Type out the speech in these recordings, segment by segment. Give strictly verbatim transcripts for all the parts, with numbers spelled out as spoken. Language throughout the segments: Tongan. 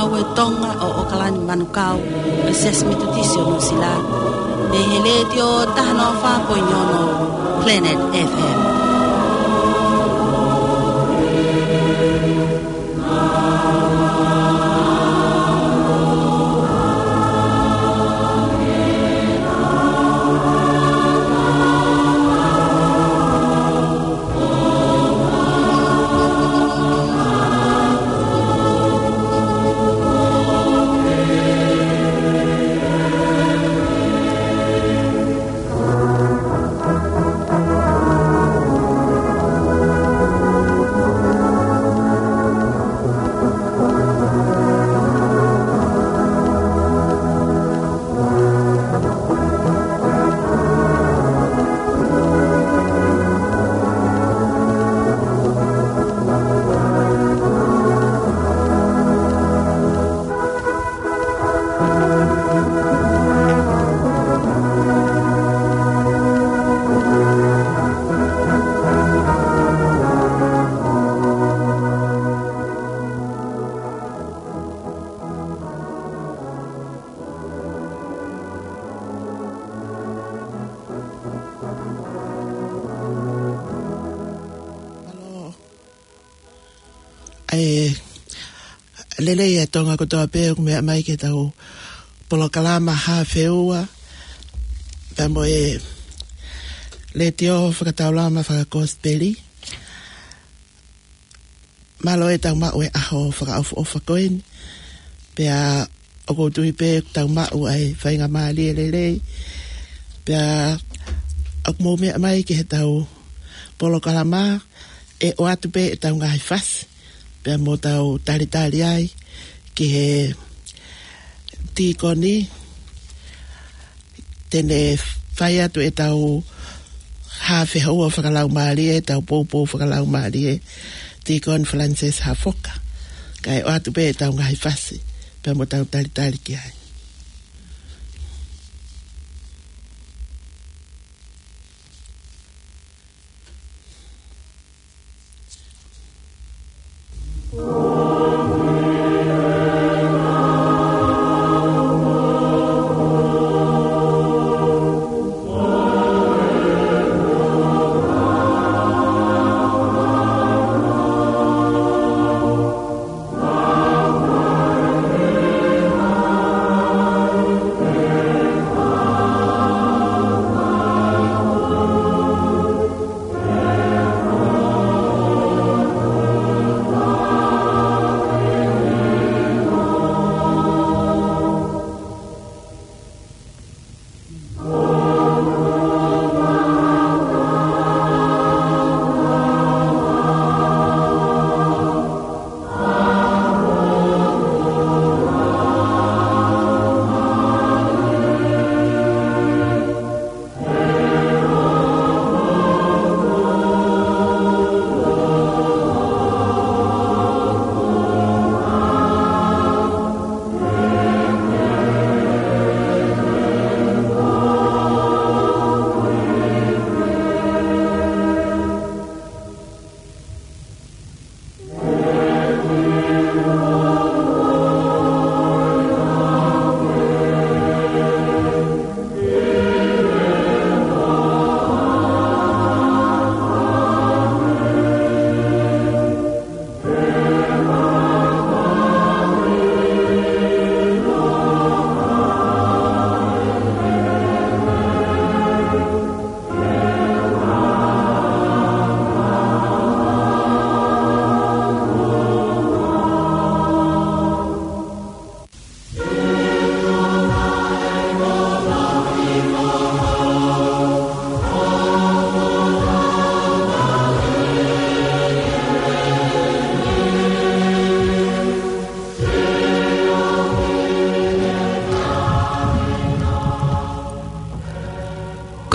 Ko e Tonga ʻo ʻOkalani Manukau, ʻa e Siasi Metotisi ʻo Nuʻusila, mei he Letiō taha noa fā poini ono Planet F M. ʻE lelei ʻa Tonga kotoa pē ʻoku meʻa mai ki heʻetau polokalama Hā Feua, pea mo e Letiō Fakataulama Fakakosipeli. Mālō e tau maʻu e ʻaho fakaʻofoʻofa ko eni. Pea ʻoku ou tui pē ʻoku tau maʻu ai faingamālie lelei. Pea ʻoku mou meʻa mai ki heʻetau polokalama, ʻe ʻoatu pē ʻetau ngaahi fasi, pea mo tau talitali ai ki he tīkoni, te ne fai atu ʻetau hā feua fakalaumālie, ʻetau poupou fakalaumālie, Tīkoni Francis Hafoka. Kae ʻoatu pē ʻetau ngaahi fasi, pea mo tau talitali ki ai.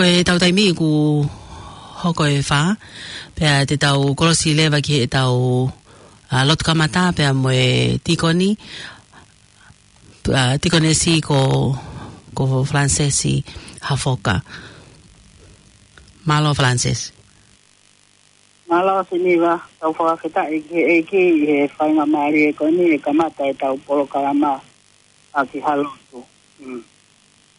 Ko e tau taimi kuo hoko e fā, pea te tau kolosi leva ki heʻetau, ā, lotu kamata pea mo e tīkoni, ā, tīkonesi ko, ko Francis Hafoka. Mālō Francis. Mālō Siniva, tau fakafetaʻi ki he ʻEiki ʻi he faingamālie ko eni ʻe kamata ʻetau polokalama ʻaki ha lotu. Mm.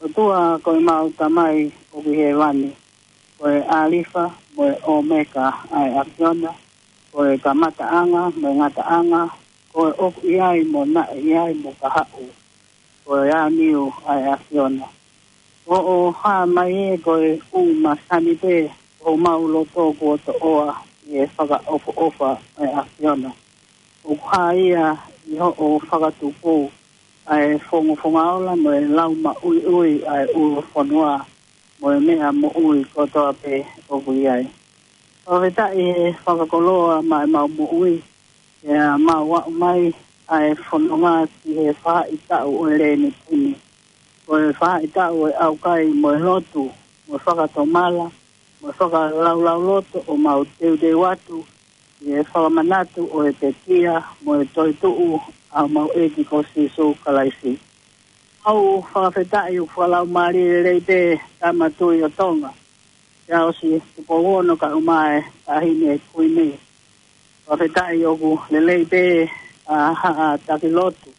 ʻOtua ko ʻemau Tamai ʻoku ʻi hēvani, ko e ʻAlifa mo e ʻOmeka ʻa e ʻAfiona, ko e kamataʻanga mo e ngataʻanga, ko e ʻoku ʻi ai mo naʻe ʻi ai mo kahaʻu, ko e ʻAniu ʻa e ʻAfiona. ʻOku hā mai ē ko e ʻū masani pē homau loto kuo toʻoa ʻi he fakaʻofoʻofa ʻa e ʻAfiona. ʻOku hā ia ʻi hoʻo fakatupu ʻa e fongofonga ola mo e lau maʻuiʻui ʻa e ʻulu fonua mo e meʻa moʻui kotoa pē ʻoku ʻi ai. Fakafetaʻi he fakakoloa maʻa ʻemau moʻui, ʻa ʻemau aʻu mai ʻa e fononga ki he faʻahitaʻu ʻo e lēnitini. Ko e faʻahitaʻu ʻo e ʻaukai mo e lotu, mo e fakatomala, mo e fakalaulauloto ʻo mau teuteu atu ʻi he fakamanatu ʻo e pekia mo e toetuʻu ʻa homau ʻEiki ko Sīsū Kalaisi. ʻOku fakafetaʻi ʻoku fakalaumālie lelei pē Tama Tuʻi ʻo Tonga, Siaosi Tupou Ono kae ʻumaʻā e Taʻahine Kuini. Fakafetaʻi ʻoku lelei pē ʻa haʻa taki lotu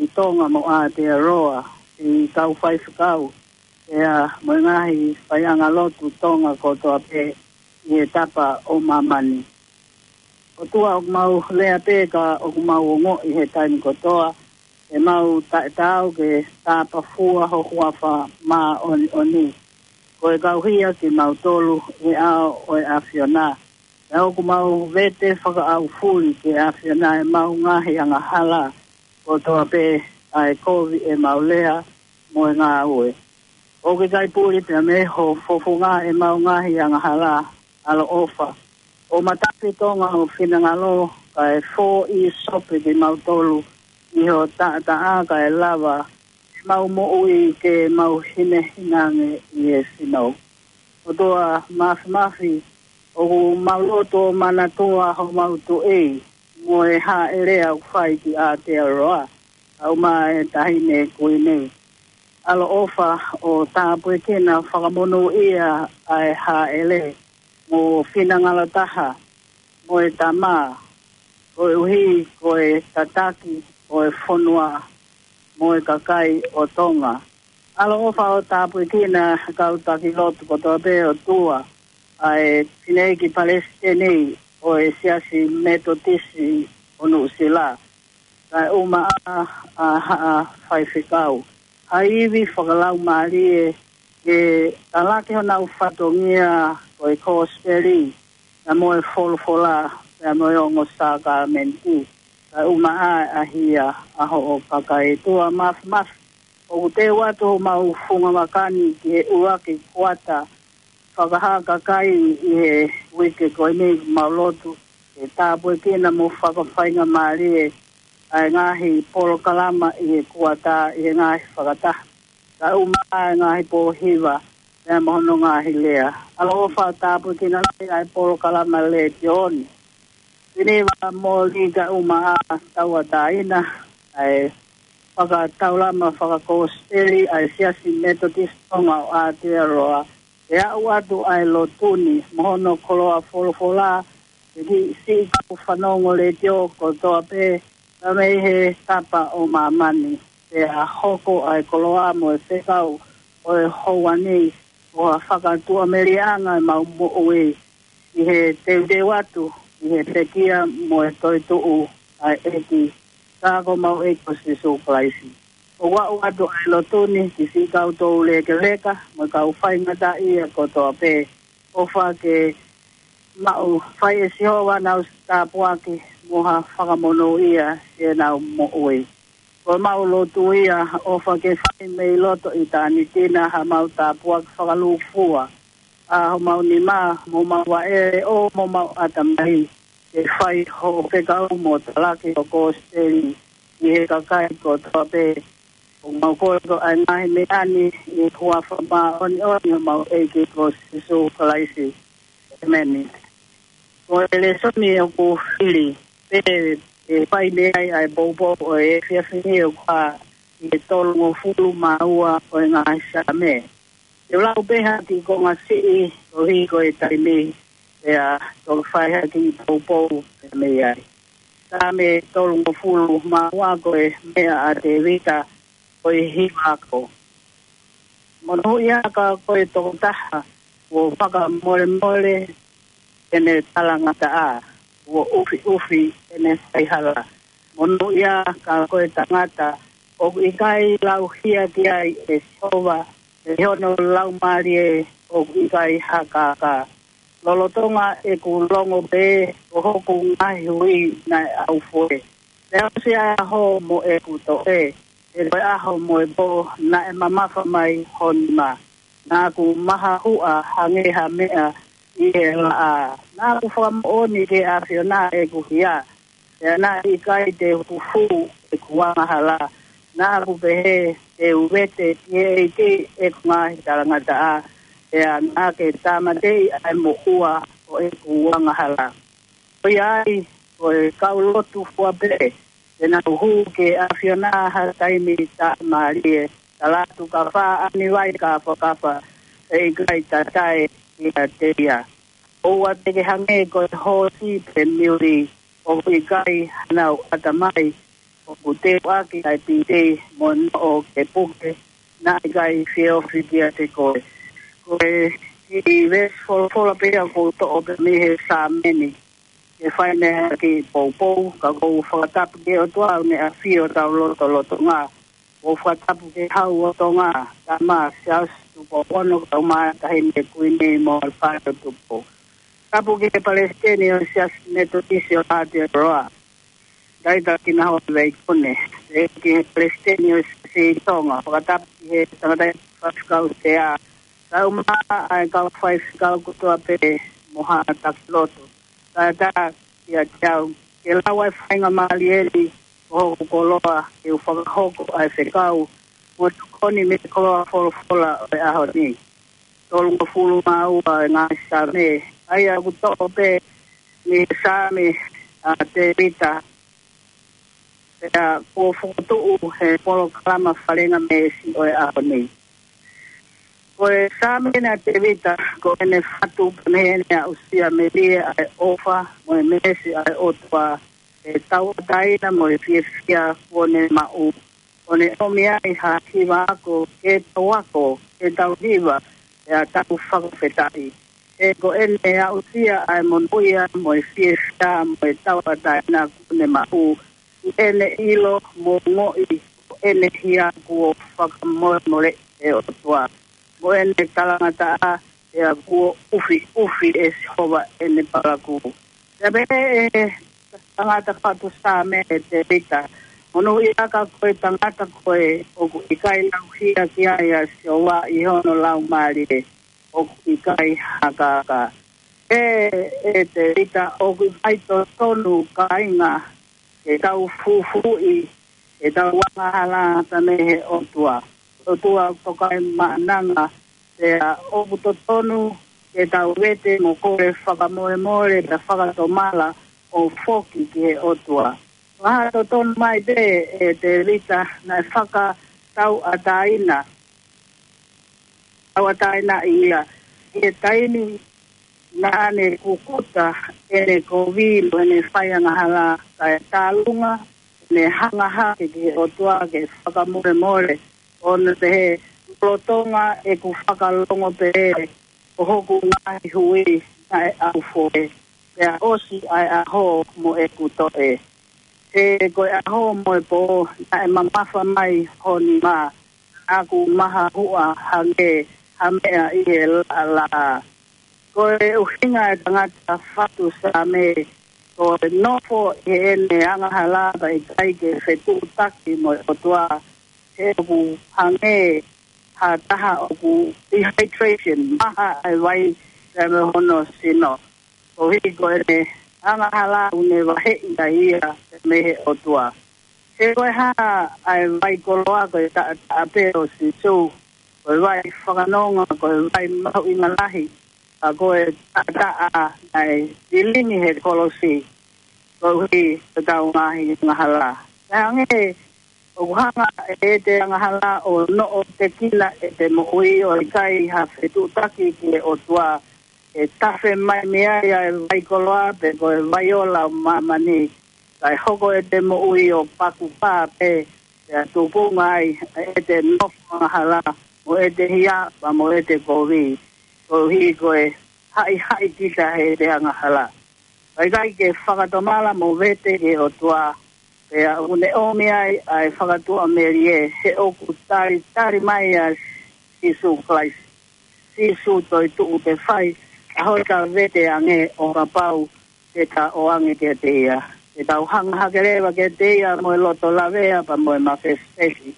ʻi Tonga mo Aotearoa, ʻi kau faifekau, ʻa ia mo e ngaahi faiʻanga lotu Tonga kotoa pē ʻi he tapa ʻo māmani. ʻOtua ʻoku mau lea pē ka ʻoku mau ongoʻi he taimi kotoa, ʻemau taʻetaau ke tāpafua ho huafa māʻoniʻoni. Ko e kau hia kimautolu ʻi he ʻao ʻo e ʻAfiona. ʻA ia ʻoku mau vete fakaʻaufuli ki he ʻAfiona ʻemau ngaahi angahala kotoa pē, ʻa e kovi ʻemau lea mo e ngāue. ʻOku ʻikai puli pea mei ho fofonga ʻemau ngaahi angahala, ʻaloʻofa. ʻO matafi Tonga ho finangalo, kae fōʻi sope kimautolu ʻi ho taʻataʻa kae lava ʻemau moʻui ke mau hinehina ange ʻi he sino. ʻOtua Māfimafi, ʻoku mau lotu ʻo manatua homau tuʻi mo e hāʻele ʻoku fai ki Aotearoa, kae ʻumaʻā e Taʻahine Kuini. ʻAloʻofa ʻo tāpuekina fakamonūʻia ʻa e hāʻele mo finangalo taha mo e tama, koeʻuhi ko e tataki ʻo e fonua mo e kakai ʻo Tonga. ʻAloʻofa ʻo tāpuekina kau taki lotu kotoa pē ʻOtua, ʻa e fineʻeiki palesiteni ʻo e Siasi Metotisi ʻo Nuʻusila, kae ʻumaʻā ʻa haʻa faifekau. Ha ivi fakalaumālie ke talaki honau fatongia ko e kosipeli, pea mo e folofola, pea mo e ongo sākalamēniti, kae ʻumaʻā ʻa e hia ʻa hoʻo kakai. ʻOtua Māfimafi, ʻoku teu atu homau funga vaka ni ki he ʻuluaki kuata fakahā kakai ʻi he uike ko eni, mau lotu ke tāpuekina mo fakafaingamālie ʻa e ngaahi polokalama ʻi he kuata ʻi he ngaahi fakataha, kae ʻumaʻā e ngaahi pōhiva, pea mo hono ngaahi lea. ʻAloʻofa ʻo tāpuekina lahi ʻa e polokalama letiō ni. Siniva, Moli kae ʻumaʻā Tauʻatāina, ʻa e fakataulama fakakosipeli ʻa e Siasi Metotisi Tonga ʻo Aotearoa, ʻe aʻu atu ʻa e lotu ni mo hono koloa folofola ki he siʻi kau fanongo letiō kotoa pē, pea mei he tapa ʻo māmani. Pea hoko ʻa e koloa mo e fekau ʻo e houa ni ko ha fakatuʻamelieʻanga ʻemau moʻui ʻi he teuteu atu ʻi he pekia mo e toetuʻu ʻa e ʻEiki, ka ko homau ʻEiki ko Sīsū Kalaisi. ʻOku aʻu atu ʻa e lotu ni ki siʻi kau toulekeleka mo e kau faingataʻaʻia kotoa pē. ʻOfa ke maʻu, fai ʻe Sihova ʻenau tāpuaki mo ha fakamonūʻia ʻi heʻenau moʻui. Ko ʻemau lotu ia, ʻofa ke fai mei loto ʻitāniti na haʻamau tāpuaki fakalūkufua ʻa homau nima mo homau vaʻe ʻo mo homau ʻatamai, ke fai hoʻo fekau mo talaki hoʻo kosipeli ʻi he kakai kotoa pē. ʻOku mau kole ko e ngaahi meʻa ni ʻi he huafa māʻoniʻoni ʻo homau ʻEiki ko Sīsū Kalaisi. ʻEmeni. Ko e lēsoni ʻoku fili pē ʻe fai mei ai ʻa e poupou ʻo e efiafi ni ʻoku hā ʻi he tolungofulu mā ua ʻo e ngaahi Saame. Te u lau pē ha kiʻi konga siʻi koeʻuhi ko e taimi. pea toki fai ha kiʻi poupou pē mei ai. Saame tolungofulu mā ua. Ko e meʻa ʻa Tēvita ko e hiva ako. Monūʻia ka ko e tokotaha kuo fakamolemole ʻene talangataʻa, kuo ʻufiʻufi ʻene faihala. Monūʻia ka ko e tangata ʻoku ʻikai lauhia ki ai ʻe Sihova, ʻi hono laumālie ʻoku ʻikai hakaka. Lolotonga ʻeku longo pē, ko hoku ngaahi hui naʻe ʻaufoe. Pea ʻosi ʻa e ʻaho mo ʻeku toʻe, he ko e ʻaho mo e pō naʻe mamafa mai ho nima. Naʻa ku mahahuʻa hangē ha meʻa ʻi he laʻā. Naʻa ku fakamoʻoni ki he ʻAfiona ʻeku hia, pea naʻe ʻikai te u hū ʻeku angahala. Naʻa ku pehē, te u vete ki he ʻEiki ʻeku ngaahi talangataʻa, pea naʻa ke tāmateʻi ʻa e moʻua ʻo ʻeku angahala. Ko ia ai, ko e kau lotu fua pē, te nau hū ki he ʻAfiona ha taimi taʻemālie. Tala atu ka fā ani vai kāfakafa, ʻe ʻikai tatae ia te ia. ʻOua te ke hangē ko e hoosi pe miuli, ʻoku ʻikai hanau ʻatamai, ʻoku teuʻaki ʻa e piti mo e noʻo ke puke, naʻe ʻikai fie ofi kiate koe. Ko e kiʻi veesi folofola pē ia ʻoku ou toʻo pē mei he Saame ni ke fai mei ai ha kiʻi poupou, ka ʻoku ou fakatapu ki he ʻOtua ʻoku ne ʻafio ʻi hotau lotolotonga. ʻOku ou fakatapu ki he Hau ʻo Tonga, Tama Siaosi Tupou Ono, kae ʻumaʻā Taʻahine Kuini mo Hoʻo Fale ʻo Tupou. Tapu ki he Palesiteni ʻo e Siasi Metotisi ʻo Aotearoa, Taita Kinahoa Veikone. Pehē ki he Palesiteni ʻo e Siasi Tonga, fakatapu ki he tangataʻeiki faifekau sea, kae ʻumaʻā ʻa e kau faifekau kotoa pē mo haʻa taki lotu. Kae ʻatā kiate au ke lau ʻa e faingamālie ni ko hoku koloa ke u fakahoko ʻa e fekau mo tokoni mei he koloa folofola ʻo e ʻaho ni. Tolungofulu mā ua ʻo e ngaahi Saame, ʻa ia ʻoku toʻo pē mei he Saame ʻa Tēvita, pea kuo fokotuʻu he polokalama Falengamēsi ʻo e ʻaho ni. Ko e Saame ʻeni ʻa Tēvita, ko ʻene fatu pē mei heʻene aʻusia melie ʻa e ʻofa mo e mēsi ʻa e ʻOtua, ʻi he tauʻatāina mo e fiefia kuo ne maʻu, ʻo ne ʻomi ai ha hiva ako ke tau ako, ke tau hiva, pea tau fakafetaʻi. He ko ʻene aʻusia ʻa e monūʻia mo e fiefia mo e tauʻatāina kuo ne maʻu, ʻi heʻene ʻilo mo ongoʻi ko ʻene hia kuo fakamolemoleʻi ʻe he ʻOtua, mo ʻene talangataʻa, pea kuo ʻufiʻufi ʻe Sihova ʻene palakū. Pea pehē ʻe he tangata fatu Saame ʻe Tēvita, monūʻia ka ko e tangata ko ē ʻoku ʻikai lauhia ki ai ʻa Sihova ʻi hono laumālie, ʻoku ʻikai hakaka. ʻE, ʻe Tēvita, ʻoku ʻikai totonu kāinga ke tau fufuuʻi ʻetau angahala mei he ʻOtua. ʻOtua ʻoku tokaimaʻananga, pea ʻoku totonu ke tau vete mo kole fakamolemole pea fakatomala ʻo foki ki he ʻOtua. Fakatotonu mai pē ʻe Tēvita naʻe fakatauʻatāina, tauʻatāinaʻi ia ʻi he taimi naʻa ne kukuta ʻene kovi mo ʻene faiangahala, kae tālunga ʻene hanga hake ki he ʻOtua ke fakamolemole, ʻo ne pehē, lolotonga ʻeku fakalongo pē, ko hoku ngaahi hui naʻe ʻaufoe, pea ʻosi ʻa e ʻaho mo ʻeku toʻe. He ko e ʻaho mo e pō naʻe mamafa mai ho nima, naʻa ku mahahuʻa hangē ha meʻa ʻi he laʻalaʻā. Ko e ʻuhinga e tangata fatu Saame, ko e nofo ʻi heʻene angahala pea ʻikai ke fetuʻutaki mo e ʻOtua, he ʻoku hangē ha taha ʻoku dehydration, maha ʻa e vai pea mei hono sino. Koeʻuhi ko ʻene angahala ʻoku ne vaheʻi ai ia mei he ʻOtua. He ko e hā ʻa e vai koloa ko e taʻataʻa pē ʻo Sīsū, ko e vai fakanonga, ko e vai mahuʻinga lahi, ka ko e taʻataʻa naʻe tilingi he kolosi, koeʻuhi ko ʻetau ngaahi angahala. Pea hangē ʻoku hanga ʻe te angahala ʻo noʻo tekina ʻete moʻui ʻo ʻikai ha fetuʻutaki ki he ʻOtua, ʻe tafe mai mei ai ʻa e vai koloa pe ko e vai ola ʻo māmani, kae hoko ʻete moʻui ʻo pakupā pē, pea tupunga ai ʻete nofo angahala, mo ʻete hia, pea mo ʻete kovi, koeʻuhi ko e haʻihaʻi kita heʻete angahala. Kae ʻikai ke fakatomala mo vete ki he ʻOtua, pea ʻoku ne ʻomi ai ʻa e fakatuʻamelie, he ʻoku talitali mai ʻa Sīsū Kalaisi, Sīsū toetuʻu, ke fai ʻa hota vete ange ʻo kapau te ta ʻoange kiate ia. Te tau hanga hake leva kiate ia mo e loto lavea pea mo e mafesifesi,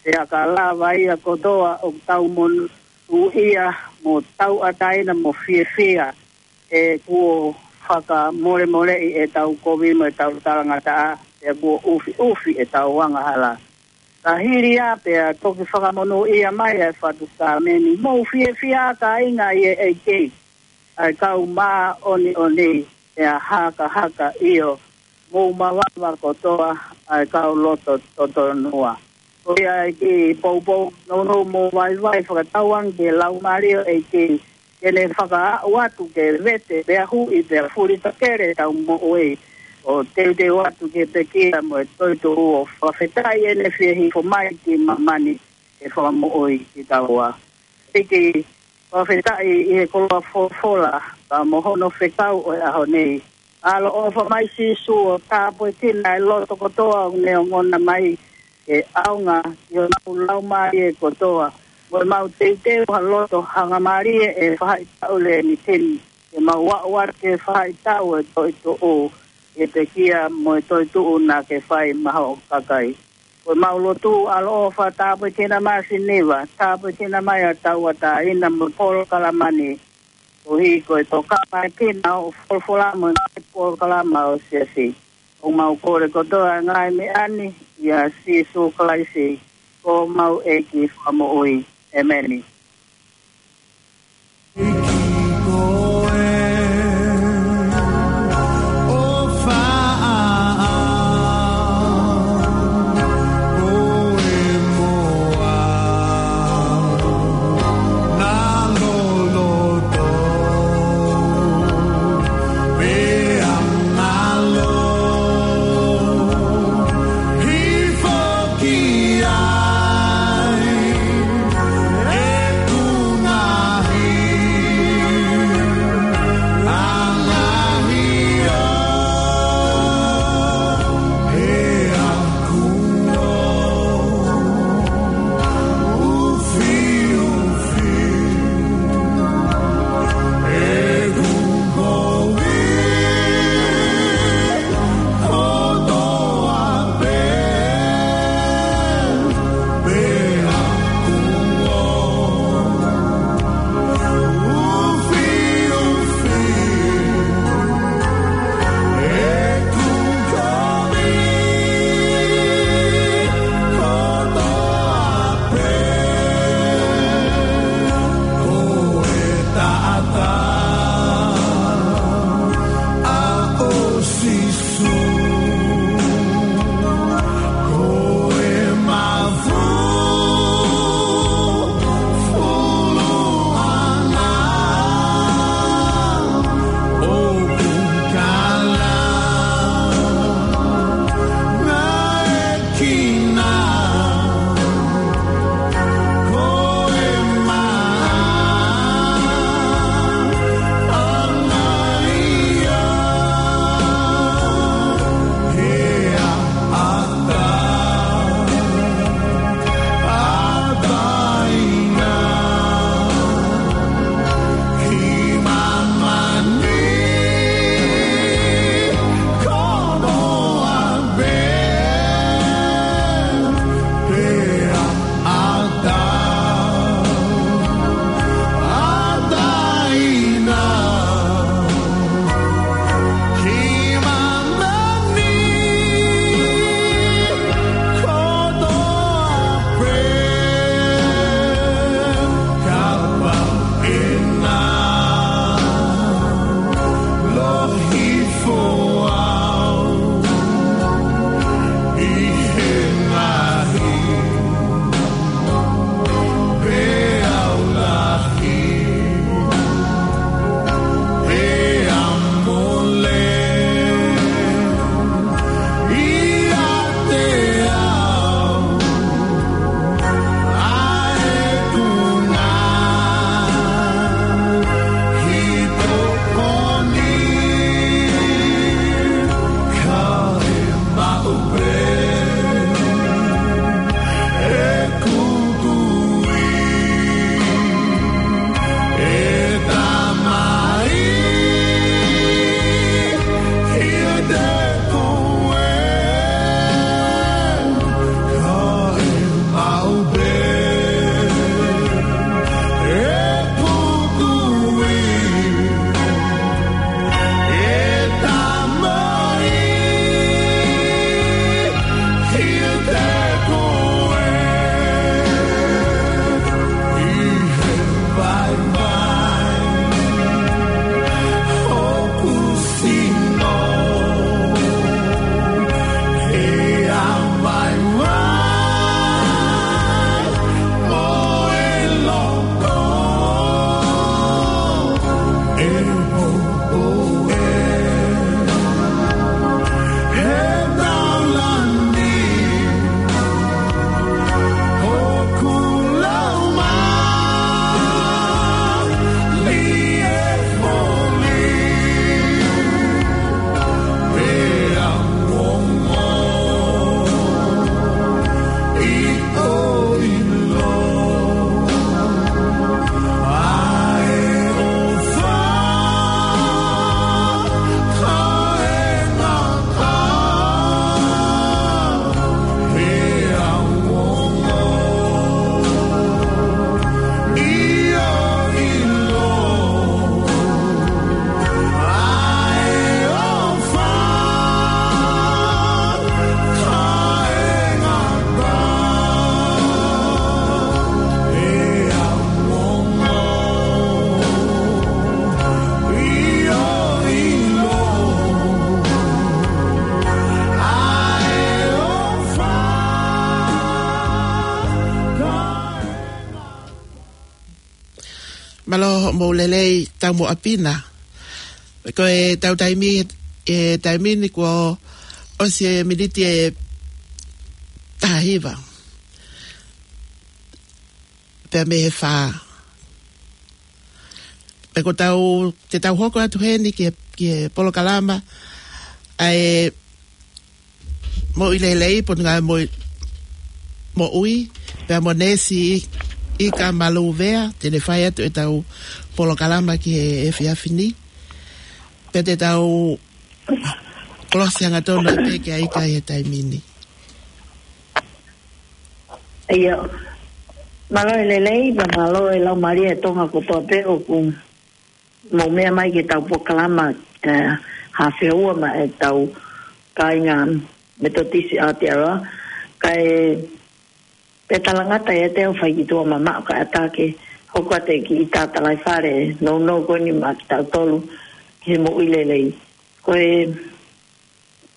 pea ka lava ia kotoa ʻoku tau monūʻia mo tauʻatāina mo fiefia, he kuo fakamolemoleʻi ʻetau kovi mo ʻetau talangataʻa, pea kuo ʻufiʻufi ʻetau angahala. Ka hili ia pea toki fakamonūʻia mai ʻa e fatu sākalamēniti. Mou fiefia, kāinga ʻi he ʻEiki, ʻa e kau māʻoniʻoni, pea hakahaka, ʻio, mou mavava kotoa, ʻa e kau loto totonua. Ko ia ʻEiki, poupou nounou mo vaivai fakatauange ki he Laumālie ʻo e ʻEiki, ke ne fakaaʻu atu ke vete, pea huʻi, pea fulitakele ʻetau moʻui, ʻo teuteu atu ki he pekia mo e toetuʻu, ʻo fakafetaʻi ʻene fie hifo mai ki māmani ke fakamoʻui kitaua. ʻEiki, fakafetaʻi ʻi he koloa folofola, pea mo hono fekau ʻo e ʻaho ni. ʻAloʻofa mai Sīsū ʻo tāpuekina e loto kotoa ʻoku ne ongona mai, ke ʻaonga ki honau laumālie kotoa, mo ʻemau teuteu ha loto hangamālie ʻi he faʻahitaʻu lēmitini, ke mau aʻu atu ki he faʻahitaʻu ʻo e toetuʻu, ʻi he pekia mo e toetuʻu naʻa ke fai maʻa hoʻo kakai. Ko ʻemau lotu, ʻaloʻofa, tāpuekina mai ʻa Siniva, tāpuekina mai ʻa e tauʻatāina mo e polokalama ni, koeʻuhi ko e tokanga mai kina ʻo folofola mo e ngaahi polokalama ʻo e siasi. ʻOku mau kole kotoa e ngaahi meʻa ni ʻia Sīsū Kalaisi, ko homau ʻEiki Fakamoʻui. ʻEmeni. Mālō hoʻomou lelei, tau mo ʻapi na. Ko ʻetau taimi, ʻe taimi ni kuo ʻosi e miniti ʻe tahahiva. Pea mei he fā. Pea ko ʻetau, te tau hoko atu heni ki he, ki he polokalama ʻa e moʻui lelei, Potungāue Moʻui, Moʻui, pea mo Neesi ʻIka Maluvea, te ne fai atu ʻetau polokalama ki he efiafi ni. Pea te tau kolosi hangatonu pē ki ai ʻIka ʻi he taimi ni. ʻIo, mālō e lelei, pea mālō e laumālie ʻa Tonga kotoa pē ʻoku mou meʻa mai ki heʻetau polokalama, eh, Hafeua maʻa ʻetau kāinga Metotisi Aotearoa, kae pē talangata ʻiate au fai ki tuʻa mamaʻo kae ʻatā ke hoko atu e kiʻi tātālaifale nounou ko eni maʻa kitautolu ki he moʻui lelei. Ko e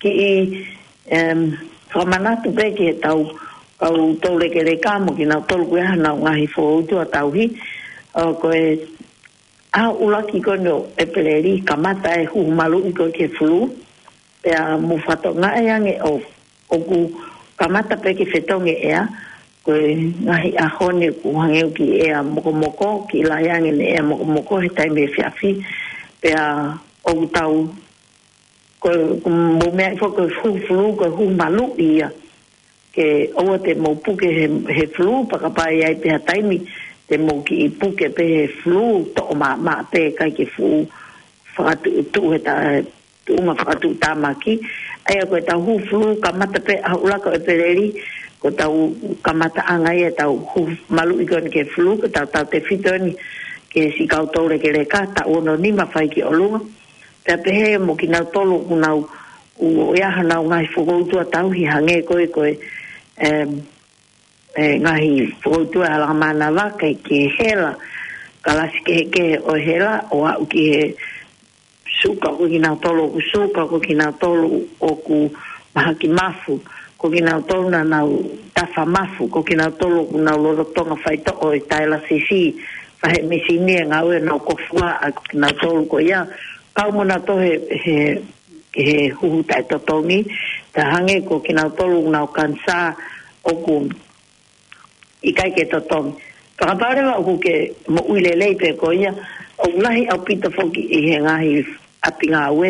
kiʻi, em, fakamanatu pē ki heʻetau kau toulekeleka mo kinautolu ʻoku ʻi ai haʻanau ngaahi fokoutua tauhi, ʻo ko e ʻaho ʻuluaki ko eni ʻo ʻEpeleli, kamata e huhu maluʻi ko ē ki he fulū, pea mou fakatokangaʻi ange ʻo, ʻoku kamata pē ke fetongi e ʻea, ko e ngaahi ʻaho ni ʻoku hangē ʻoku ʻea mokomoko, kiʻi lahi ange ʻene ʻea mokomoko he taimi efiafi, pea ʻoku tau, ko, ko mou meaʻi foki ko e huhu fulū, ko e huhu maluʻi ia. Ke ʻoua te mou puke he, he fulū, pea kapau ʻe ʻi ai pē ha taimi te mou kiʻi puke pē he fulū, toʻo maʻamaʻa pē, ʻikai ke fuʻu fakatuʻutuʻu he ta-, tuʻunga fakatuʻutāmaki. ʻA ia ko ʻetau huhu fulū, kamata pē ʻaho ʻuluaki ʻo ʻEpeleli, ko ʻetau kamataʻanga ia ʻetau huhu maluʻi ko eni ki he fulū, ko ʻetau tautefito eni ki he siʻi kau toulekeleka, taʻu ono nima fai ki ʻolunga. Pea pehē mo kinautolu ʻoku nau, ʻoku ʻi ai haʻanau ngaahi fokoutua tauhi hangē ko e, ko e, em, e ngaahi fokoutua ʻa e hala mānava, ʻikai ke hela, kalasi kehekehe ʻo e hela, ʻo aʻu ki he suka, ko kinautolu ʻoku suka, ko kinautolu ʻoku mahaki mafu, ko kinautolu naʻa nau tafa mafu, ko kinautolu ʻoku nau lolotonga faitoʻo e tailasisi, fahe misini e ngāue ʻenau kofua, ʻa kinautolu ko ia, kau mo nautolu he, he, he huhu taʻetotongi, pea hangē ko kinautolu ʻoku nau kanisā ʻoku ʻikai ke totongi. Fakapapau leva ʻoku ke moʻui lelei pē koe ia, ʻoku lahi ʻaupito foki ʻi he ngaahi ʻapi ngāue,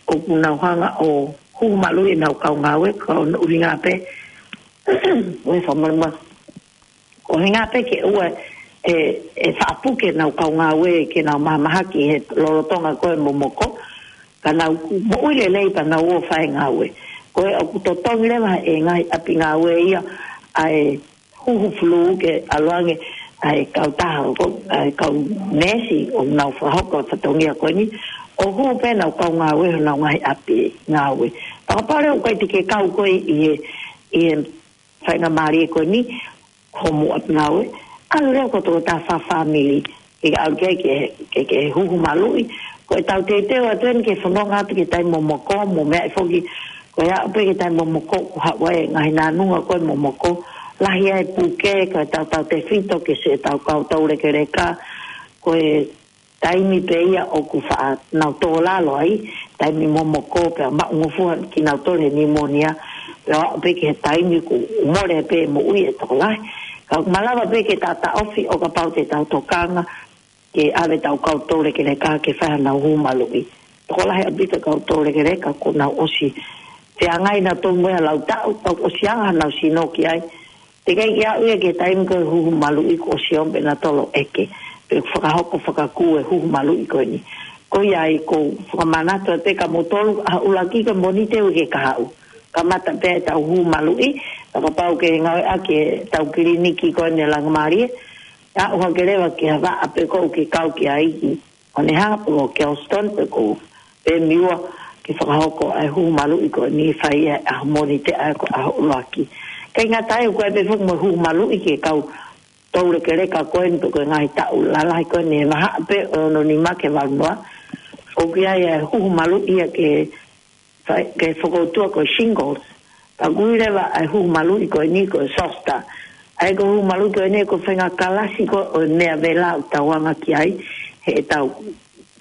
ʻoku nau hanga ʻo huhu maluʻi ʻenau kau ngāue, ka ʻoku ʻuhinga pē, ʻoe, fakamolemole. ʻOku ʻuhinga pē ke ʻoua ʻe, ʻe faʻa puke ʻenau kau ngāue ke nau mahamahaki he lolotonga ko ē momoko, ka nau moʻui lelei pea nau ō ʻo fai e ngāue. Ko e ʻoku totongi leva ʻe he ngaahi ʻapi ngāue ia ʻa e huhu fulū ke ʻalu ange ʻa e kautaha, ko, ʻa e kau neesi ʻoku nau fakahoko e fatongia ko eni, ʻo huhu pē ʻenau kau ngāue honau ngaahi ʻapi ngāue. Fakapapau leva ʻoku ʻikai te ke kau koe ʻi he, ʻi he faingamālie ko eni, hoʻomou ʻapi ngāue, ʻalu leva ko e tokotaha fāfāmili, ke ʻalu ki ai ke, ke, ke huhu maluʻi. Ko ʻetau teuteu atu eni ke fononga atu ki he taimi momoko, mou meaʻi foki, ko e aʻu pē ki he taimi momoko, ʻoku haʻu ai e ngaahi nānunga ko ē momoko, lahi ai e puke, ko ʻetau tautefito ke siʻetau kau toulekeleka, ko e taimi pē ia ʻoku faʻa nau tō lalo ai, taimi momoko pea maʻungofua kinautolu he pneumonia, pea aʻu pē ki he taimi kuo mole pē moʻui e tokolahi. Ka ʻoku malava pē ke taʻataʻofi ʻo kapau te tau tokanga ke ʻave ʻetau kau toulekeleka ke fai haʻanau huhu maluʻi. Tokolahi ʻaupito e kau toulekeleka kuo nau ʻosi feangai nautolu mo e lau taʻu, tau ʻosi anga haʻanau sino ki ai. Teʻeki ai ke aʻu ia ki he taimi ko e huhu maluʻi kuo ʻosi ʻomai pē nautolu ʻo ʻeke, pe fakahoko fakakū e huhu maluʻi ko eni. Ko ia ai ʻoku ou fakamanatu atu kia moutolu, ʻaho ʻuluaki ko e Mōnite uike kahaʻu. Kamata pē ʻetau huhu maluʻi, pea kapau ʻoku ke ngāueʻaki ʻetau kiliniki ko eni ʻa e Laumālie, aʻu hake leva ki ha vaʻa pē ʻoku ke kau ki ai ki ʻOneha pe ko Kelston pe ko Pemiua ke fakahoko ʻa e huhu maluʻi ko eni, fai ʻi he ʻaho Mōnite ʻa ia ko e ʻaho ʻuluaki. ʻIkai ngata ai, ʻoku ʻi ai pē foki mo e huhu maluʻi ki he kau toulekeleka ko eni pe ko e ngaahi taʻu lalahi ko eni he vahaʻa pē ʻo e ono nima ki he valu noa. ʻOku ʻi ai e huhu maluʻi ia ke fai, ke fokoutua ko e shingles. Ka ʻoku ui leva ʻa e huhu maluʻi ko eni ko e zoster. ʻA ia ko e huhu maluʻi ko eni ko e faʻahinga kalasi ko ē ʻo e meʻa vela ʻoku tau anga ki ai, heʻetau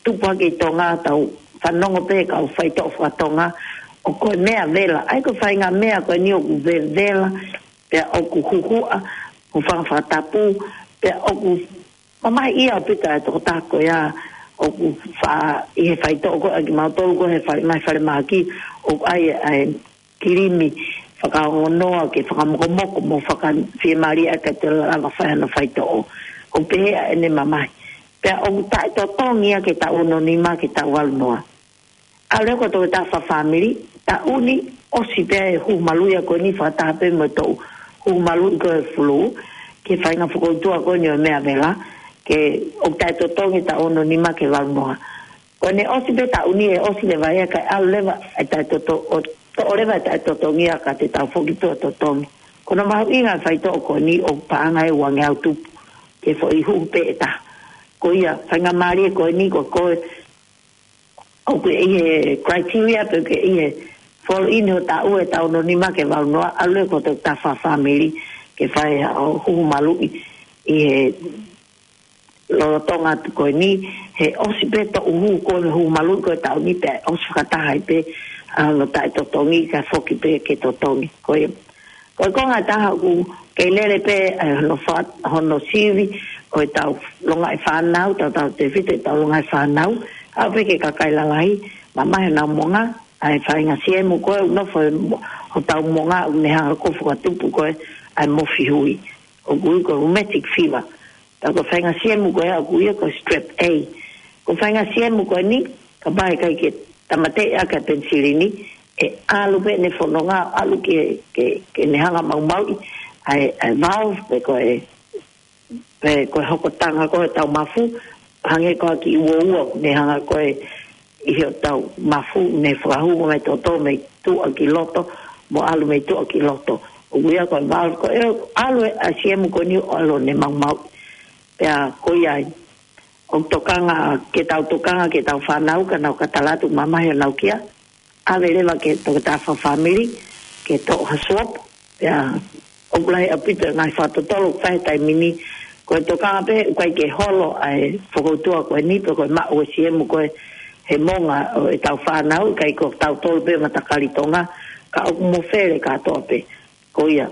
tupu hake ʻi Tonga, tau fanongo pē he kau faitoʻo fakatonga, ʻoku ko e meʻa vela. ʻA ia ko e faʻahinga meʻa ko eni ʻoku vevela, pea ʻoku huhuʻa, ʻoku fanga fakatapu, pea ʻoku mamahiʻia ʻaupito ʻa e tokotaha ko ia ʻoku faʻa ʻi he faitoʻo ko ē ʻa kimautolu ko ē he fale, ngaahi falemahaki, ʻoku ʻai ʻa e kilimi fakaongonoa ke fakamokomoko mo fakafiemālie ʻaki ʻa e tela lava fai hano faitoʻo. ʻOku pehē ʻa ʻene mamahi. Pea ʻoku taʻetotongi ia ke taʻu ono nima ke taʻu valu noa. ʻAlu leva ko e toketā fakafāmili, taʻu ni, ʻosi pē ʻa e huhu maluʻi ko eni fakataha pē mo e toʻu huhu maluʻi ko e fulū, ki he faʻahinga fokoutua ko eni ʻo e meʻa vela, ke ʻoku taʻetotongi taʻu ono nima ke valu noa. Ko ʻene ʻosi pē taʻu ni ʻe ʻosi leva ia kae ʻalu leva ʻa e taʻetoto-, ʻo toʻo leva ʻa e taʻetotongi ia ka te tau foki tuʻa totongi. Ko hono mahuʻinga ʻa e faitoʻo ko eni ʻoku paʻanga ʻe uangeau tupu, ke foʻi huhu pē ʻe taha. Ko ia, faingamālie ko eni ko koe, ʻoku ke ʻi he criteria pe ʻoku ke ʻi he fall in ho taʻu ʻe taʻu ono nima ke valu noa, ʻalu leva ko e toketā fakafāmili ke fai haʻo huhu maluʻi ʻi he lolotonga atu ko eni, he ʻosi pē toʻu huhu ko ē huhu maluʻi ko ē taʻu ni pea ʻosi fakataha ai pē ʻa hono taʻetotongi kae foki pē ke totongi. Ko ia. Ko e konga ʻe taha ʻoku kei lele pē ʻa hono fa-, hono sivi ʻo ʻetau longaʻi fānau, tautautefito ʻetau longaʻi fānau, ʻalu pē ki he kakai lalahi, mamahi honau moʻunga, ʻa e faʻahinga siemu ko ē ʻoku nofo he mo-, hotau moʻunga ʻoku ne hanga ko ē ʻo fakatupu ko ē ʻa e mofihui. ʻOku ui ko e rheumatic fever. Pea ko e faʻahinga siemu ko ē ʻoku ui ia ko e strep A. Ko e faʻahinga siemu ko eni, kapau ʻe ʻikai ke tāmateʻi ʻaki ʻa e penisilini, ʻe ʻalu pē ʻene fononga, ʻalu ke, ke, ke ne hanga ʻo maumauʻi ʻa e, ʻa e valve pe ko e, pe ko e hokotanga ko ē ʻetau mafu, hangē ko e kiʻi uoua, ne hanga ko ē ʻi hotau mafu, ne fakahū mei toto, mei tuʻa ki loto, mo ʻalu mei tuʻa ki loto. ʻOku ui ia ko e valve, ko e ʻalu ʻa e siemu ko eni ʻo ʻalu ʻo ne maumauʻi. Pea ko ia ai, ʻoku tokanga, ke tau tokanga, ke tau fānau, ka nau ka tala atu mamahi honau kia, ʻave leva ki he toketā fakafāmili, ke toʻo ha swab, pea ʻoku lahi ʻaupito e ngaahi fakatotolo ʻoku fai he taimi ni, ko e tokanga pē, ʻoku ʻikai ke holo ʻa e fokoutua ko eni, pe ko e maʻu ʻa e siemu ko ē he moʻunga ʻo ʻetau fānau, ʻikai ko tautolu pē matakali Tonga, ka ʻoku mofele kātoa pē. Ko ia,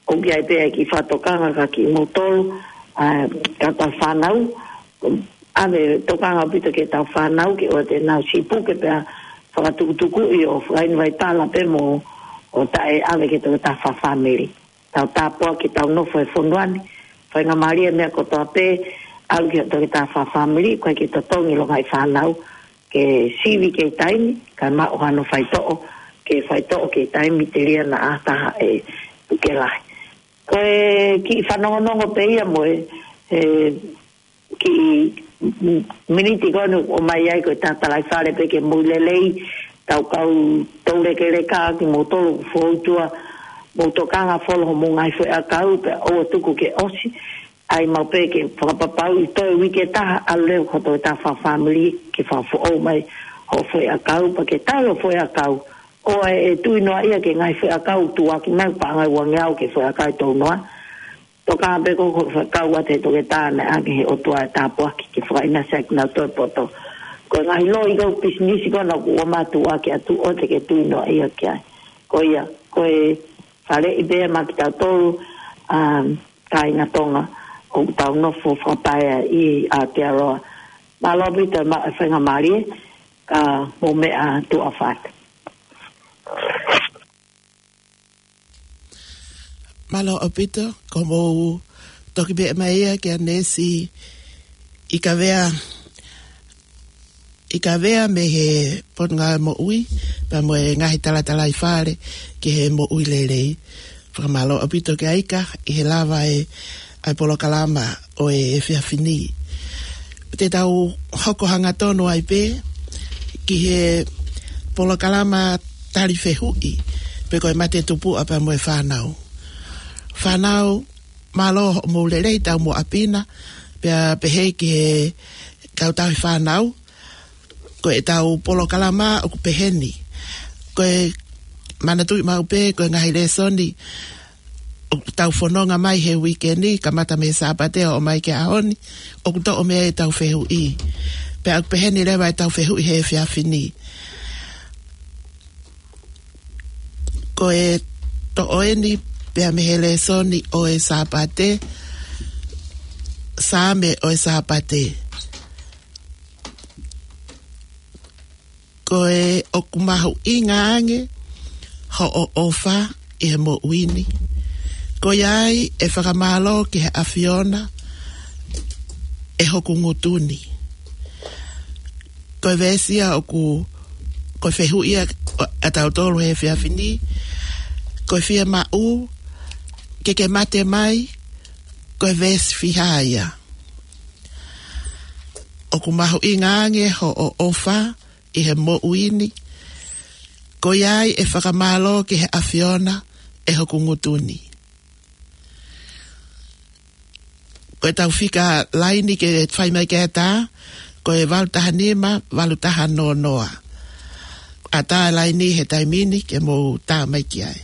ʻoku ʻi ai pē ʻa e kiʻi fakatokanga kia kimoutolu, ʻa, ka tau fānau, ʻave tokanga ʻaupito ki heʻetau fānau, ke ʻoua te nau sipuke pea fakatukutukuʻi ʻo fakainu vai pala pē mo, ʻo taʻe ʻave ki he toketā fakafāmili. Tau tāpuaki ʻetau nofo he fonua ni, faingamālie e meʻa kotoa pē, ʻalu ki he toketā fakafāmili, ʻikai ke totongi e longaʻi fānau, ke sivi kei taimi, kae maʻu hano faitoʻo, ke faitoʻo kei taimi telia naʻa taha e puke lahi. Ko e kiʻi fanongonongo pē ia mo e, e kiʻi miniti ko eni ʻoku ʻomai ai ko e tatalaifale pē ke mou lelei, tau kau toulekeleka kimoutolu ʻoku fou tuʻa, mou tokanga folo homou ngaahi foʻiʻakau, pea ʻoua tuku ke ʻosi, ʻai maʻu pē ke fakapapauʻi toe uike ʻe taha, ʻalu leva ki he toketā fakafāmili ke fakafoʻou mai hoʻo foʻiʻakau, pea ke tau hoʻo foʻiʻakau. ʻOua ʻe tui noaʻia ki he ngaahi foʻiʻakau tuʻuaki mai, paʻanga ʻe uangeau ki he foʻiʻakau ʻe tolu noa. Tokanga pē ko hoʻo foʻiʻakau ʻa e toketā naʻe ʻange ʻe he ʻOtua e tāpuaki ke fakaʻinasi ʻaki kinautolu e poto. Ko e ngaahi loi ko ē pisinisi ko ena ʻoku ʻomai tuʻuaki atu, ʻoua te ke tui noaʻia ki ai. Ko ia, ko e faleʻi pē ia maʻa kitautolu, um, kāinga Tonga, ʻoku tau nofo fakapaea ʻi Aotearoa. Mālō ʻaupito e maʻu e faingamālie, ka mou meʻa tuʻa ʻofa atu. Mālō ʻaupito, ko hoʻomou toki pehē mai ia kia Nesi ʻIkavea, ʻIkavea mei he Potungāue Moʻui, pea mo e ngaahi talatalaifale ki he moʻui lelei. Fakamālō ʻaupito kia Ika ʻi he lava e, ʻa e polokalama ʻo e efiafi ni. Te tau hoko hangatonu ai pē ki he polokalama tali fehuʻi, pe ko e mate tupuʻa pea mo e fānau. Fānau, mālō hoʻomou lelei taumuʻa pina, pea pehē ki he kau tauhi fānau, ko ʻetau polokalama ʻoku pehē ni. Ko e manatuʻi maʻu pē, ko e ngaahi lēsoni ʻoku tau fononga mai he uike ni, kamata mei he Sāpate ʻo ʻomai ki he ʻaho ni, ʻoku toʻo mei ai ʻetau fehuʻi. Pea ʻoku peheni leva ʻetau fehuʻi he efiafi ni. Ko e toʻo eni pea mei he lēsoni ʻo e Sāpate, Saame ʻo e Sāpate. Ko e ʻoku mahuʻinga ange hoʻo ʻofa ʻi he moʻui ni. Ko ia ai ʻe fakamālō ki he ʻAfiona ʻe hoku ngutu ni. Ko e veesi ia ʻoku, ko e fehuʻi ia ʻatautolu he efiafi ni. Ko e fiemaʻu ke ke mate mai, ko e veesi fiha ia. ʻOku mahuʻinga ange hoʻo ʻofa ʻi he moʻui ni. Ko ia ai ʻe fakamālō ki he ʻAfiona ʻe hoku ngutu ni. Ko ʻetau fika laini ke fai mai ki ai ʻa e tā, ko e valu taha nima, valu taha noa noa. ʻAtā e laini he taimi ni ke mou tā mai ki ai.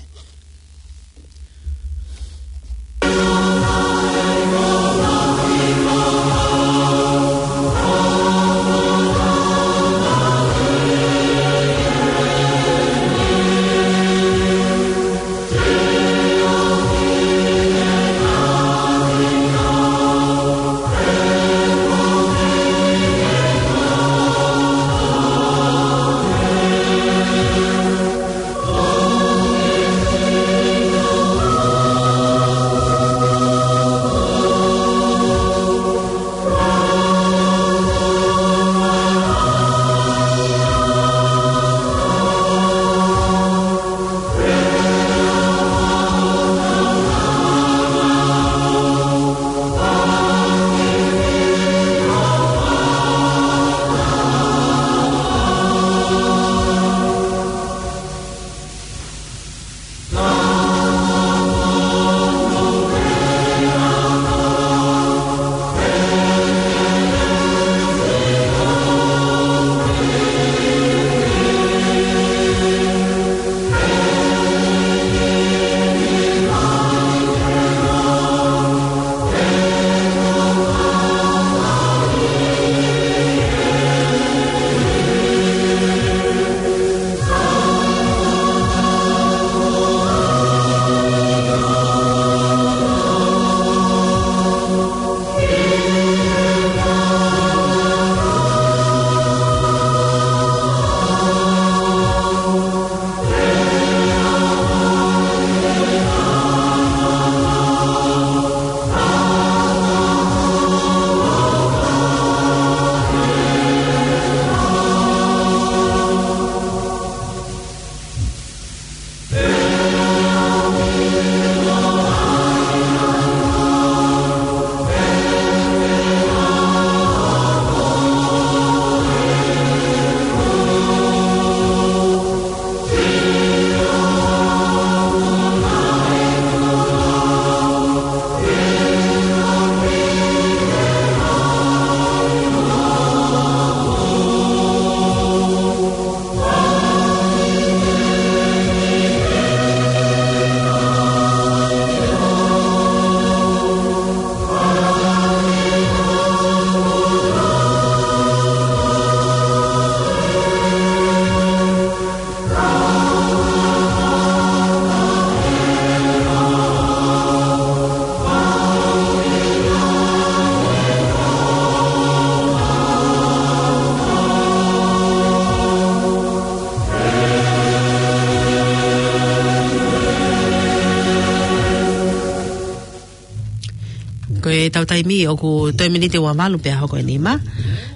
Ko ʻetau taimi ʻoku toe miniti ua valu pea hoko e nima.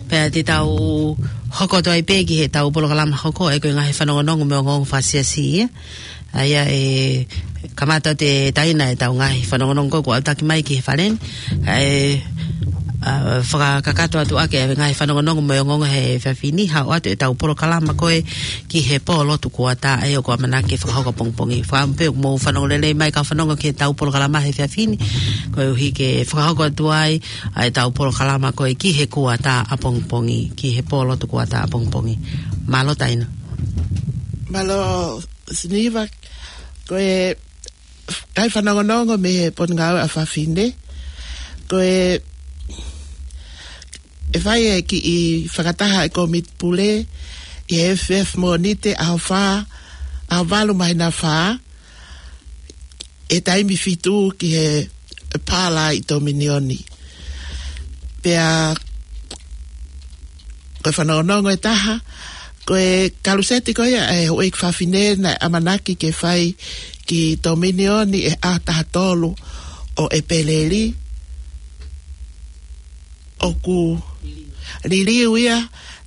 Pea te tau hoko atu ai pē ki heʻetau polokalama hoko, ʻa ia ko e ngaahi fanongonongo mo e ongoongo fakasiasi ia. ʻA ia ʻe kamata ʻo taina ʻetau ngaahi fanongonongo ko ē kuo ʻalu taki mai ki he fale ni. ʻA ia, ʻa, fakakakato atu ʻaki e ngaahi fanongonongo mo e ongoongo he efiafi ni, haʻu atu ʻetau polokalama ko ē ki he pō lotu kuata, ʻa ia ʻoku ʻamanaki ke fakahoko ʻapongipongi. Fakaʻamu pē ʻoku mou fanongo lelei mai kau fanongo ki heʻetau polokalama he efiafi ni, koeʻuhi ke fakahoko atu ai ʻa ʻetau polokalama ko ē ki he kuata ʻapongipongi, ki he pō lotu kuata ʻapongipongi. Mālō Taina. Mālō Siniva, ko e kai fanongonongo mei he Potungāue ʻa Fafine. Ko e, ʻe fai e kiʻi fakataha e Kōmiti Pule ʻi he F F Mōnite ʻaho fā, ʻaho valu māhina fā, ʻi he taimi fitu ki he pāla ʻi Tominioni. Pea ko e fanongonongo ʻe taha, ko e kaluseti ko ia ʻa e Houʻeiki Fafine naʻe ʻamanaki ke fai ki Tominioni ʻi he ʻaho taha tolu ʻo ʻEpeleli, ʻoku liliu ia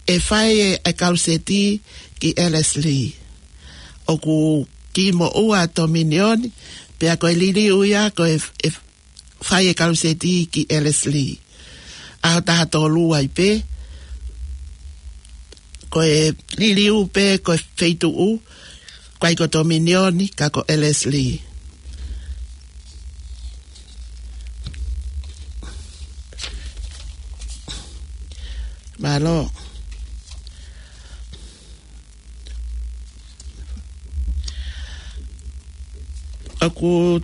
ʻe fai e, e kaluseti ki Ellerslie. ʻOku kiʻi moʻua Tominioni, pea ko e liliu ia ko e, e fai e kaluseti ki Ellerslie. ʻAho taha tolu ai pē, ko e liliu pē ko e feituʻu, ʻikai ko Tominioni, ka ko Ellerslie. Mālō. ʻOku,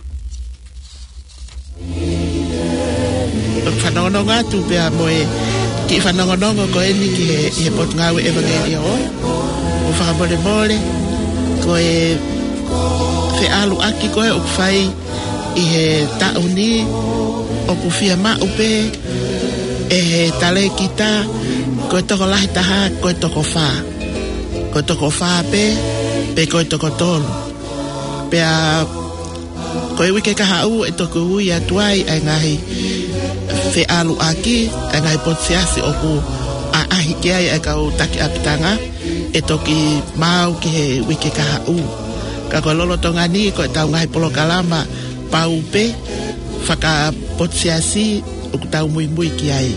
ʻoku fanongonongo atu pea mo e kiʻi fanongonongo ko eni ki he, ʻi he Potungāue ʻEvangeliō. ʻOku fakamolemole, ko e feʻaluʻaki ko ē ʻoku fai ʻi he taʻu ni, ʻoku fiemaʻu pē ʻe he talēkita, ko e tokolahi taha, ko e toko fā. Ko e toko fā pē, pe ko e toko tolu. Pea ko e uike kahaʻu ʻe toki ui atu ai ʻa e ngaahi feʻaluʻaki, ʻa e ngaahi potu siasi ʻoku ʻaʻahi ki ai ʻa e kau taki ʻapitanga, ʻe toki maau ki he uike kahaʻu. Ka ko e lolotonga ni, ko ʻetau ngaahi polokalama pau pē fakapotu siasi ʻoku tau muimui ki ai.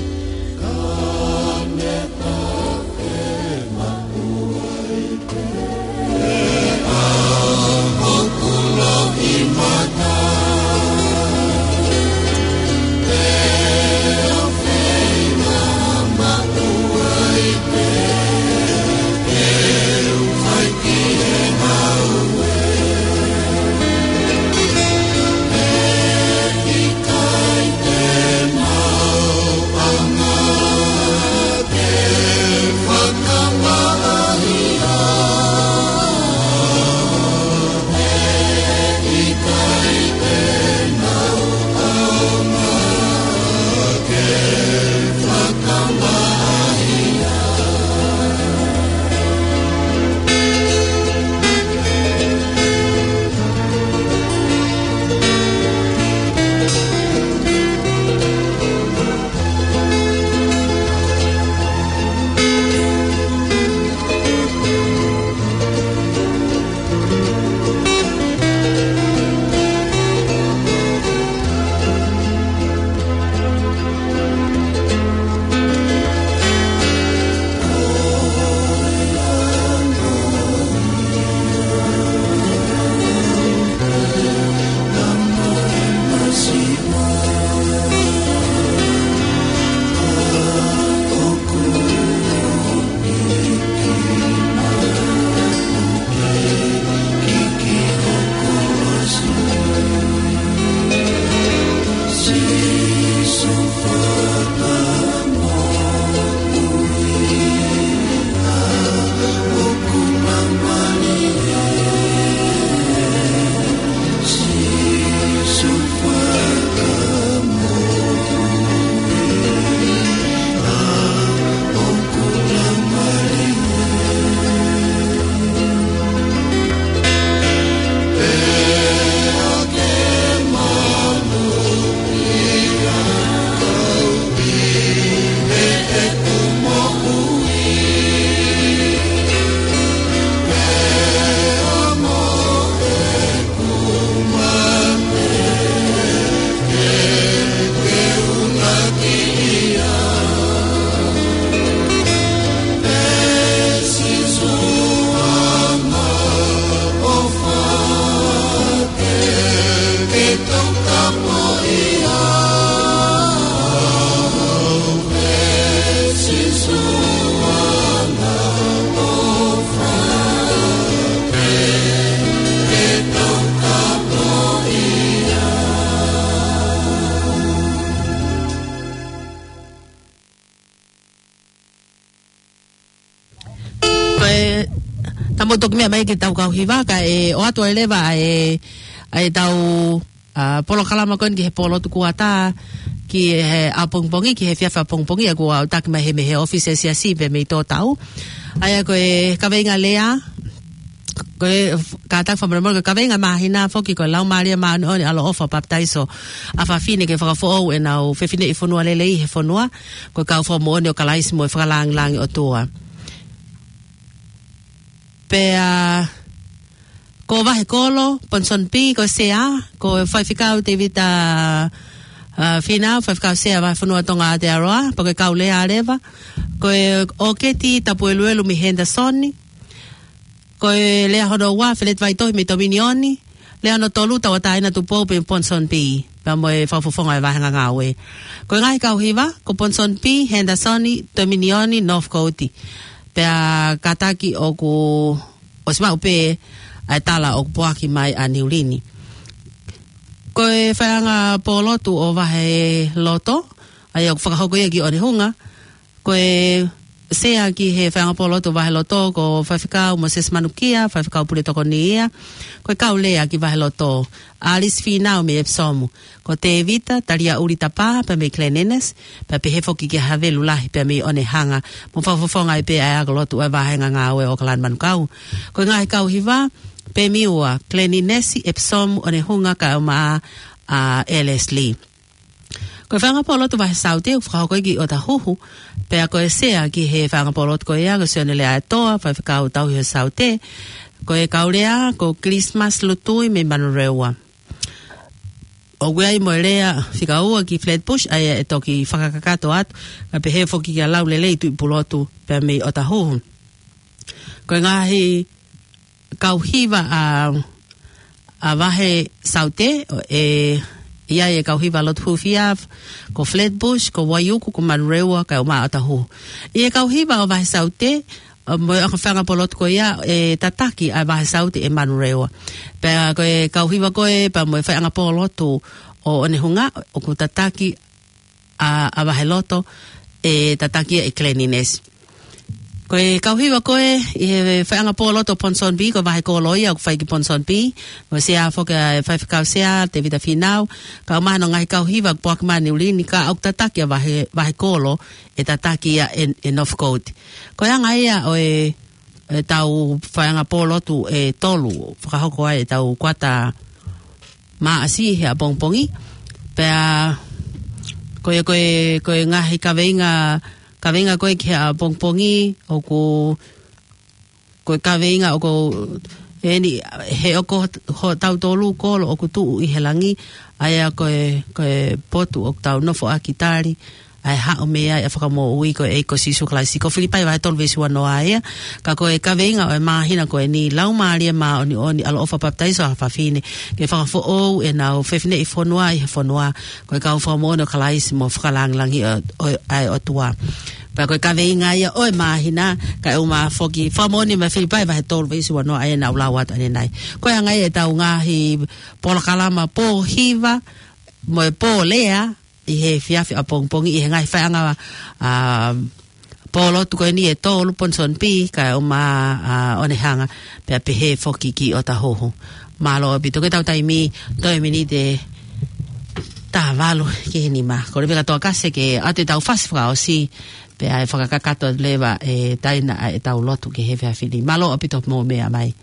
Ka mou toki meʻa mai ki he tau kau hiva, kae ʻoatu ai leva ʻa e, ʻa e tau, ʻa, polokalama ko eni ki he pō lotu kuata, ki he ʻapongipongi, ki he efiafi ʻapongipongi, ʻa ia kuo ʻautaki mai he mei he ʻōfisi ʻa e Siasi pē mei Tōtau. ʻA ia ko e kaveinga lea, ko e f-, kātaki fakamolemole, ko e kaveinga māhina foki ko e Laumālie Māʻoniʻoni ʻaloʻofa papitaiso ʻa fafine ke fakafoʻou ʻenau fefineʻi fonua lelei he fonua, ko e kau fakamoʻoni ʻo Kalaisi mo e fakalāngilangi ʻOtua. Pea ko Vahekolo, Ponsonby, ko e Sea, ko e Faifekau Tevita, ʻa, Finau, Faifekau Sea Vahefonua Tonga Aotearoa, pea ko e kau lea leva, ko e ʻOketi Tapueluelu mei Henderson, ko e lea hono ua, Feleti Vaitohi mei Tominioni, lea hono tolu, Tauʻatāina Tupou mei Ponsonby, pea mo e fakafofonga ʻo e vahenga ngāue. Ko e ngaahi kau hiva, ko Ponsonby, Henderson, Tominioni, Northcote. Pea kātaki ʻoku ʻosi maʻu pē ʻa e tala ʻoku poaki mai ʻa Niulini. Ko e faiʻanga pō lotu ʻo Vaheloto, ʻa ia ʻoku fakahoko ia ki ʻOnehunga, ko e Sea ki he faiʻanga pō lotu ʻo Vaheloto, ko Faifekau Moses Manukia, Faifekau Pule Tokoni ia, ko e kau lea ki Vaheloto, Alice Finau mei Epsom, ko Tevita Taliaʻuli Tapa pea mei Glen Innes, pea pehē foki kia Havelu Lahi pea mei ʻOnehunga, mo fakafofonga ai pē ʻa e ako lotu ʻa e vahenga ngāue ʻo ʻOkalani Manukau. Ko e ngaahi kau hiva, Pemiua, Glen Innes, Epsom, ʻOnehunga kae ʻumaʻā ʻa Ellerslie. Ko e faiʻanga pō lotu Vahe Saute ʻoku fakahoko ia ki ʻOtahuhu, pea ko e Sea ki he faiʻanga pō lotu ko ia ko Sione Leaʻaetoa, Faifekau Tauhi ʻo Saute, ko e kau lea ko Christmas Lutui mei Manurewa. ʻOku ʻi ai mo e lea fika ua ki Flatbush, ʻa ia ʻe toki fakakakato atu, kae pehē foki kia Laulelei Tuʻipulotu pea mei ʻOtahuhu. Ko e ngaahi kau hiva ʻa, ʻa Vahe Saute, ʻe, ʻi ai e kau hiva lotu hūfia, ko Flatbush, ko Waiuku, ko Manurewa, kae ʻumaʻā ʻOtahuhu. ʻI he kau hiva ʻo Vahe Saute, ʻa, mo e faiʻanga pō lotu ko ia, ʻe tataki ʻa Vahe Saute ʻe Manurewa. Pea ko e kau hiva ko ē, pea mo e faiʻanga pō lotu ʻo ʻOnehunga, ʻoku tataki ʻa, ʻa Vaheloto, ʻe tataki ia ʻe Glen Innes. Ko e kau hiva ko ē, ʻi he faiʻanga pō lotu ʻo Ponsonby, ko Vahekolo ia ʻoku fai ki Ponsonby, mo e Sea foki ʻa e Faifekau Sea, Tevita Finau, kae ʻumaʻā hono ngaahi kau hiva ʻoku poaki mai ʻa Niulini, ka ʻoku tataki ʻa Vahe, Vahekolo, ʻe tataki ia ʻe, ʻe Northcote. Ko e anga ia ʻo e, e tau faiʻanga pō lotu ʻe tolu, fakahoko ai e tau kuata Maʻasi he ʻapongipongi. Pea ko e, ko e, ko e ngaahi kaveinga, kaveinga ko ē ki he ʻapongipongi, ʻoku, ko e kaveinga ʻoku eni, he ʻoku hotau tolu kolo ʻoku tuʻu ʻi he langi, ʻa ia ko e, ko e potu ʻoku tau nofoʻaki tali, ʻa e haʻu mei ai ʻa e Fakamoʻui ko e ʻEiki ko Sīsū Kalaisi. Ko Filipai vahe tolu veesi uanoa ia, ka ko e kaveinga ʻo e māhina ko eni, Laumālie Māʻoniʻoni ʻaloʻofa papitaiso ʻa fafine, ke fakafoʻou ʻenau fefineʻi fonua ʻi he fonua, ko e kau fakamoʻoni ʻo Kalaisi mo fakalāngilangi ʻo, ʻo, ʻa e ʻOtua. Pea ko e kaveinga ia ʻo e māhina, kae ʻumaʻā foki, fakamoʻoni mei Filipai vahe tolu veesi uanoa ʻa ia naʻa ku lau atu ʻanenai. Ko e anga ia e tau ngaahi polokalama pō hiva, mo e pō lea, ʻi he efiafi ʻapongipongi ʻi he ngaahi faiʻanga, ʻa, pō lotu ko eni ʻe tolu Ponsonby, kae ʻumaʻā, ʻa, ʻOnehunga, pea pehē foki ki ʻOtahuhu. Mālō ʻaupito, ko e tau taimi, toe miniti ʻe taha valu ki he nima. Ko e leve ka toa kasi ke ʻoatu e tau fasi fakaʻosi, pea ʻe fakakakato leva e taina ʻa e tau lotu ki he efiafi ni. Mālō ʻaupito mou meʻa mai.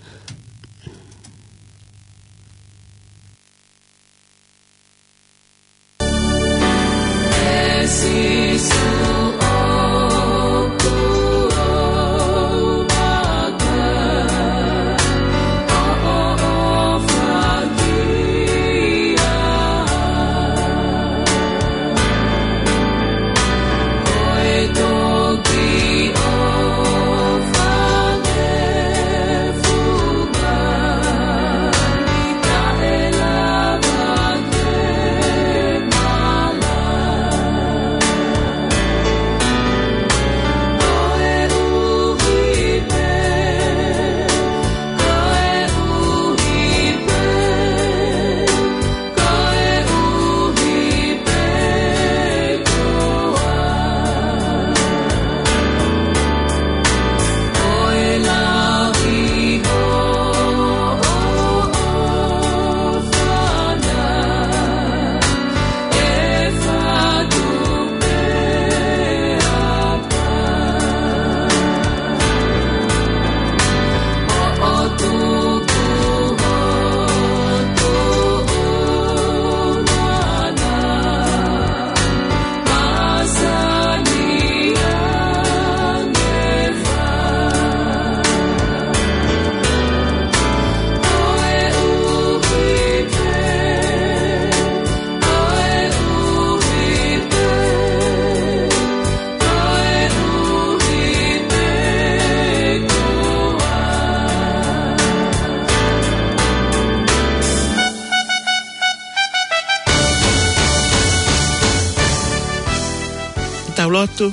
Tau lotu.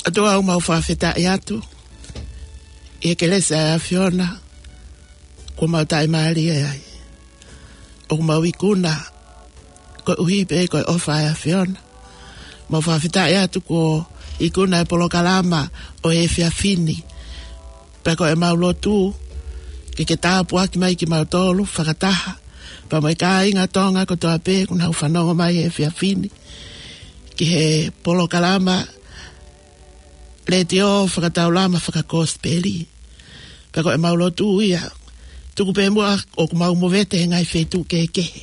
ʻOtua, ʻoku mau fakafetaʻi atu ʻi he kelesi ʻa e ʻAfiona kuo mau taʻimālie ai. ʻOku mau ikuna koeʻuhi pē ko e ʻofa ʻa e ʻAfiona. Mau fakafetaʻi atu kuo ikuna e polokalama ʻo e efiafi ni. Pea ko ʻemau lotu ke ke tāpuaki mai kimautolu fakataha, pea mo e kāinga Tonga kotoa pē kuo nau fanongo mai he efiafi ni ki he polokalama letiō fakataulama fakakosipeli. Pea ko ʻemau lotu ia, tuku pē muʻa ʻoku mau movete he ngaahi feituʻu kehekehe,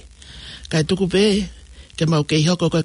kae tuku pē ke mau kei hoko ko e